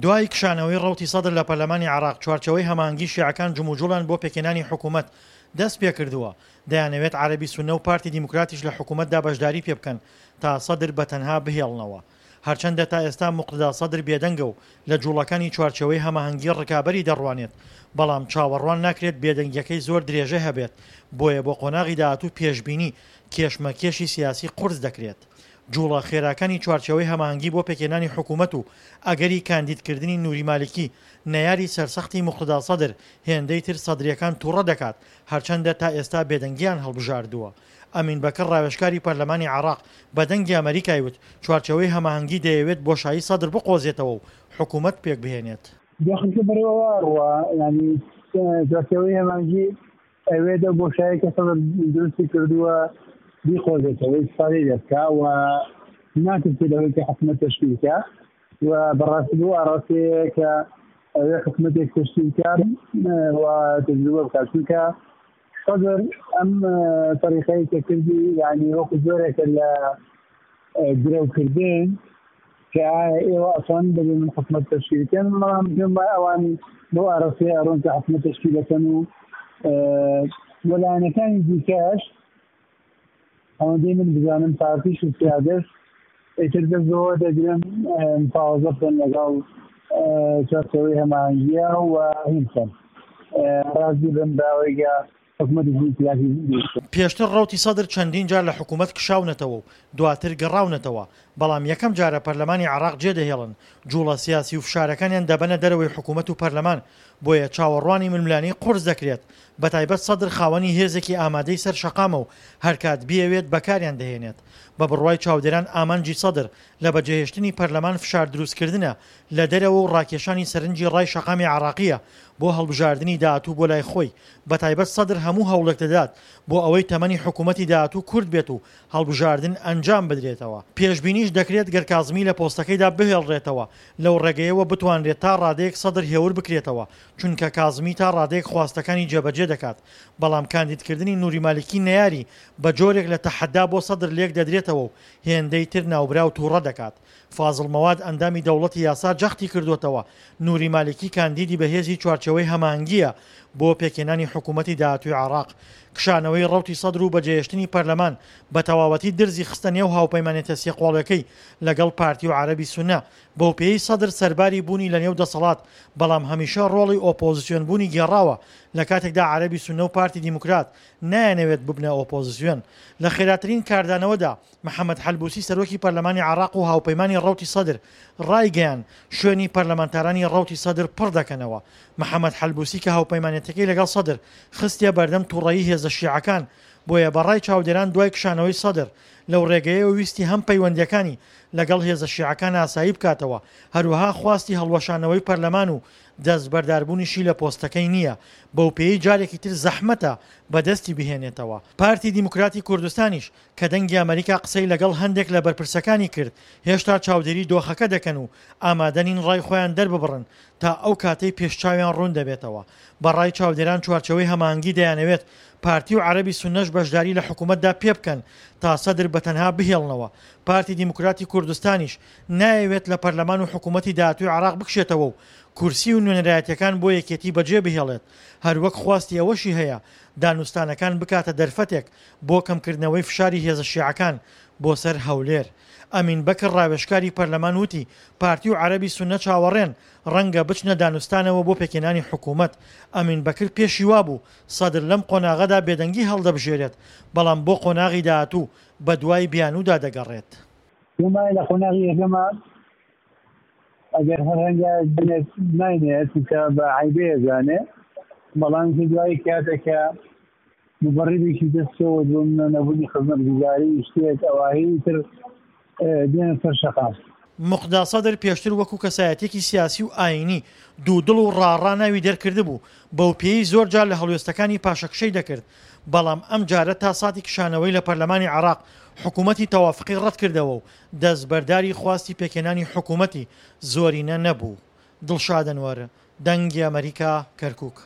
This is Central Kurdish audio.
دوای کشانەوەی ڕەوتی سەدر لە پەرلەمانی عێراق، چوارچێوەی هەماهەنگی شیعەکان جموجوڵیان بۆ پێکهێنانی حکوومەت دەستپێکردووە، دەیانەوێت عەرەبی سوننە و پارتی دیموکراتیش لە حکوومەتدا بەشداری پێبکەن تا سەدر بە تەنها بهێڵنەوە. هەرچەندە تا ئێستا موقتەدا سەدر بێدەنگە و لە جوڵەکانی چوارچێوەی هەماهەنگی ڕکابەری دەڕوانێت، بەڵام چاوەڕوان ناکرێت بێدەنگیەکەی زۆر درێژەی هەبێت، بۆیە بۆ قۆناغی داهاتوو پێشبینی کێشمەکێشی سیاسی قورس دەکرێت. جوڵە خێراکانی چوارچێوەی هەماهەنگی بۆ پێکهێنانی حکومەت و ئەگەری کاندیدکردنی نوری مالکی، نەیاری سەرسەختی موقتەدا سەدر، هێندەی تر سەدرییەکان توڕە دەکات، هەرچەندە تا ئێستا بێدەنگییان هەڵبژاردووە. ئەمین بەکر ڕاوێژکاری پەرلەمانی عێراق بە دەنگی ئەمەریکای وت، چوارچێوەی هەماهەنگی دەیەوێت بۆشایی سەدر بقۆزێتەوە و حکومەت پێکبهێنێت. دۆخەکە بەرەو ئەوە ئەڕوا، یانی چوارچێوەی هەماهەنگی ئەوێت ئەو بۆشایەی کە سەدر دروستی کردووە بیقۆزێتەوە، ئیستفادەی لێ بکا و ناترسێت لەوەی کە حکومەت تەشکیل بکا و بەڕاستی بەو ئاڕاستەیە کە ئەوێ حکومەتێک تەشکیل بکا و تەجروبە بکات، چونکە سەدر ئەم تەریقەی کە کردی یعنی وەکو جۆرێکە لە درەوکردن کە ئایا ئێوە ئەتوانن بەبێ من حکومەت تەشکیل بکەن، بەڵام پێم وایە ئەوان بەو ئاراستەیە ئەڕۆن کە حکومەت تەشکیل دەکەن و وەلایەنەکانی دیکەش ئەوەندەی من بزانم پارتیش و سیادەش ئیتر دەست بەوە دەگرن مفاوەزە بکەن لەگەڵ چوارچێوەی هەماهەنگییە و هین بکەن ڕازی بن بەوەی کە حکومەتێکی ئیتلافی دروست بکەن. پێشتر ڕەوتی سەدر چەندین جار لە حکومەت کشاونەتەوە و دواتر گەڕاونەتەوە، بەڵام یەکەم جارە پەرلەمانی عێراق جێدەهێڵن، جوڵە سیاسی و فشارەکانیان دەبەنە دەرەوەی حکومەت و پەرلەمان، بۆیە چاوەڕوانی ململانێی قورس دەکرێت، بەتایبەت سەدر خاوەنی هێزێکی ئامادەی سەر شەقامە و هەرکات بیەوێت بەکاریان دەهێنێت. بە بڕوای چاودێران ئامانجی سەدر لە بەجێهێشتنی پەرلەمان فشار دروستکردنە لە دەرەوە و ڕاکێشانی سەرنجی ڕای شەقامی عێراقییە بۆ هەڵبژاردنی داهاتوو بۆ لای خۆی، بەتایبەت سەدر هەموو هەوڵێک دەدات بۆ ئەوەی تەمەنی حکوومەتی داهاتوو کورت بێت و هەڵبژاردن ئەنجام بدرێتەوە. پێشبینیش دەکرێت گەر کازمی لە پۆستەکەیدا بهێڵرێتەوە، لەو ڕێگەیەوە بتوانرێت تا ڕادەیەک سەدر هێور بکرێتەوە، چونکە کازمی تا ڕادەیەک خواستەکانی جێبەجێ دەکات، بەڵام کاندیدکردنی نوری مالکی نەیاری بە جۆرێک لە تەحەدا بۆ سەدر لێک دەدرێتەوە و هێندەی تر ناوبراو توڕە دەکات. فازڵ مەواد ئەندامی دەوڵەتی یاسا جەختی کردووەتەوە، نوری مالکی کاندیدی بەهێزی چوارچێوەی هەماهەنگییە بۆ پێکهێنانی حکوومەتی داهاتووی عێراق. کشانەوەی ڕەوتی سەدر و بەجێهێشتنی پەرلەمان بە تەواوەتی درزی خستە نێو هاوپەیمانێتە سێقۆڵیەکەی لەگەڵ پارتی و عەرەبی سوننە، بەوپێیەی سەدر سەرباری بوونی لەنێو دەسەڵات، بەڵام هەمیشە ڕۆڵی ئۆپۆزسیۆنبوونی گێڕاوە، لەکاتێکدا عەرەبی سوننە و پارتی دیموکرات نایانەوێت ببنە ئۆپۆزسیۆن. لە خێراترین کاردانەوەدا محەمەد حەلبوسی سەرۆکی پەرلەمانی عێراق و هاوپەیمانی ڕەوتی سەدر ڕایگەیاند، شوێنی پەرلەمانتارانی ڕەوتی سەدر پڕ دەکەنەوە. محەمەد حەلبوسی کە هاوپەیمانێتیەکەی لەگەڵ سەدر خستیە بەردەم توڕەیی هێزە شیعەکان، بۆیە بە ڕای چاودێران دوای کشانەوەی سەدر لەو ڕێگەیەوە ویستی هەم پەیوەندیەکانی لەگەڵ هێزە شیعەکان ئاسایی بکاتەوە، هەروەها خواستی هەڵوەشانەوەی پەرلەمان و دەستبەرداربوونیشی لە پۆستەکەی نییە، بەوپێیەی جارێکی تر زەحمەتە بەدەستی بهێنێتەوە. پارتی دیموکراتی کوردستانیش کە دەنگی ئەمەریکا قسەی لەگەڵ هەندێک لە بەرپرسەکانی کرد، هێشتا چاودێری دۆخەکە دەکەن و ئامادە نین ڕای خۆیان دەرببڕن تا ئەو کاتەی پێشچاویان ڕوون دەبێتەوە. بە ڕای چاودێران چوارچێوەی هەماهەنگی دەیانەوێت پارتی و عەرەبی سوننەش بەشداری لە حکومەتدا پێبکەن تا سەدر بە تەنها بهێڵنەوە. پارتی دیموکراتی کوردستانیش نایەوێت لە پەرلەمان و حکومەتی داهاتووی عێراق بکشێتەوە و کورسی و نوێنەرایەتیەکان بۆ یەکێتی بەجێ بهێڵێت، هەروەک خواستی ئەوەشی هەیە دانوستانەکان بکاتە دەرفەتێک بۆ کەمکردنەوەی فشاری هێزە شیعەکان بۆ سەر هەولێر. ئەمین بەکر ڕاوێژکاری پەرلەمان وتی، پارتی و عەرەبی سوننە چاوەڕێن ڕەنگە بچنە دانوستانەوە بۆ پێکهێنانی حکوومەت. ئەمین بەکر پێشی وابوو سەدر لەم قۆناغەدا بێدەنگی هەڵدەبژێرێت، بەڵام بۆ قۆناغی داهاتوو بەدوای بیانوودا دەگەڕێت. پێم وایە لە قۆناغی یەکەما ئەگەر هەر هەنگاوێک بنێت ناینێت چونکە بە عەیبەی ئەزانێ، بەڵام دوایی کاتێک کە مبەڕیبێکی دەست کەوت بۆ منە نەبوونی خزمەتگوزاری شتێک ئەوایی تر دێنە سەر شەقام. موقتەدا سەدر پێشتر وەکو کەسایەتیەکی سیاسی و ئایینی دوودڵ و ڕاڕا ناوی دەرکردبوو، بەوپێیەی زۆر جار لە هەڵوێستەکانی پاشەکشەی دەکرد، بەڵام ئەمجارە تا ساتی کشانەوەی لە پەرلەمانی عێراق حکوومەتی تەوافقی ڕەتکردەوە و دەستبەرداری خواستی پێکهێنانی حکوومەتی زۆرینە نەبوو. دڵشاد ئەنوەر، دەنگی ئەمەریکا، کەرکوک.